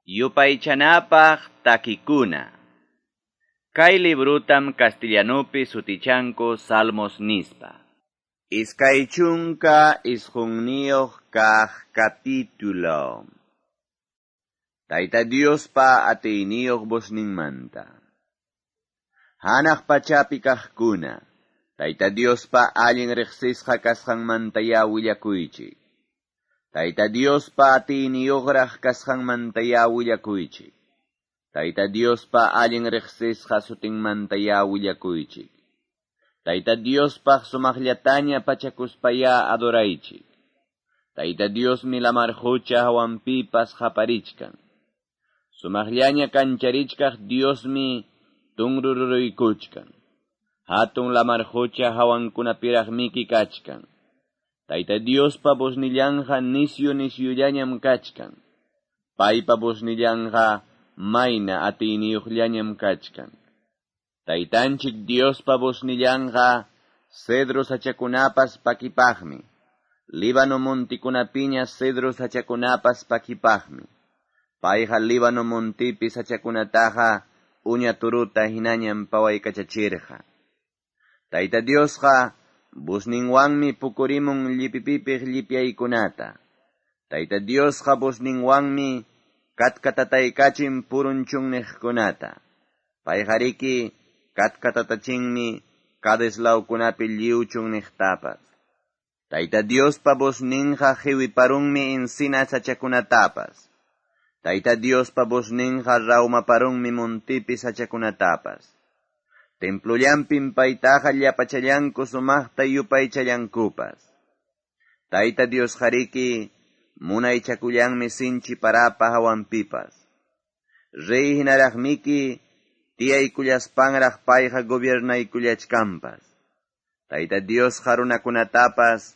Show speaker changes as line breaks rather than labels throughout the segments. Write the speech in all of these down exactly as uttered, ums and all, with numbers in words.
Yupaychanapaq takikuna. Kay librutam castellanupi sutichanku Salmos nispa. Iskay chunka isqunniyuq kaq capítulo. Tayta Diospa atiyniyuq vozninmanta. Hanaq pachapi kaqkuna, Tayta Diospa allin riqsisqa kasqanmantayá willakuychik. Tayta Diospa atiyniyuqraq kasqanmantayá willakuychik. Tayta Diospa allin riqsisqa sutinmantayá willakuychik. Tayta Diospaq sumaqllataña pachakuspayá adoraychik. Tayta Diosmi lamar qucha hawanpipas qaparichkan. Sumaqllaña kancharichkaq Diosmi tunrururuykuchkan. Hatun lamar qucha hawankunapiraqmiki kachkan. Tayta Diospa voznillanqa nisyu nisyullañam kachkan. Paypa voznillanqa mayna atiyniyuqllañam kachkan. Taytanchik Diospa voznillanqa cedro sachakunapas pakipaqmi. Líbano montikunapiña cedro sachakunapas pakipaqmi. Payqa Líbano montipi sachakunataqa uña turuta hinañam pawaykachachirqa. Tayta Diosqa vozninwanmi pukurimun llipipipiq llipyaykunata. Tayta Diosqa vozninwanmi katkatataykachin purunchunniqkunata. Payqariki katkatatachinmi Cades lawkunapi lliwchunniqtapas. Tayta Diospa vozninqa qiwiparunmi encina sachakunatapas. Tayta Diospa vozninqa rawmaparunmi montipi sachakunatapas. Templollampim paytaqa llapachallanku sumaqta yupaychallankupas. Tayta Diosqariki munaychakullanmi sinchi parapa hawanpipas. Rey hinaraqmiki tiyaykullaspanraq payqa gobiernaykullachkanpas. Tayta Diosqa runakunatapas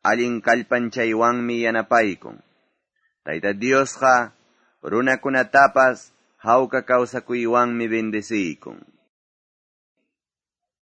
allin kallpanchaywanmi yanapaykun. Tayta Diosqa runakunatapas hawka kawsakuywanmi bendeciykun.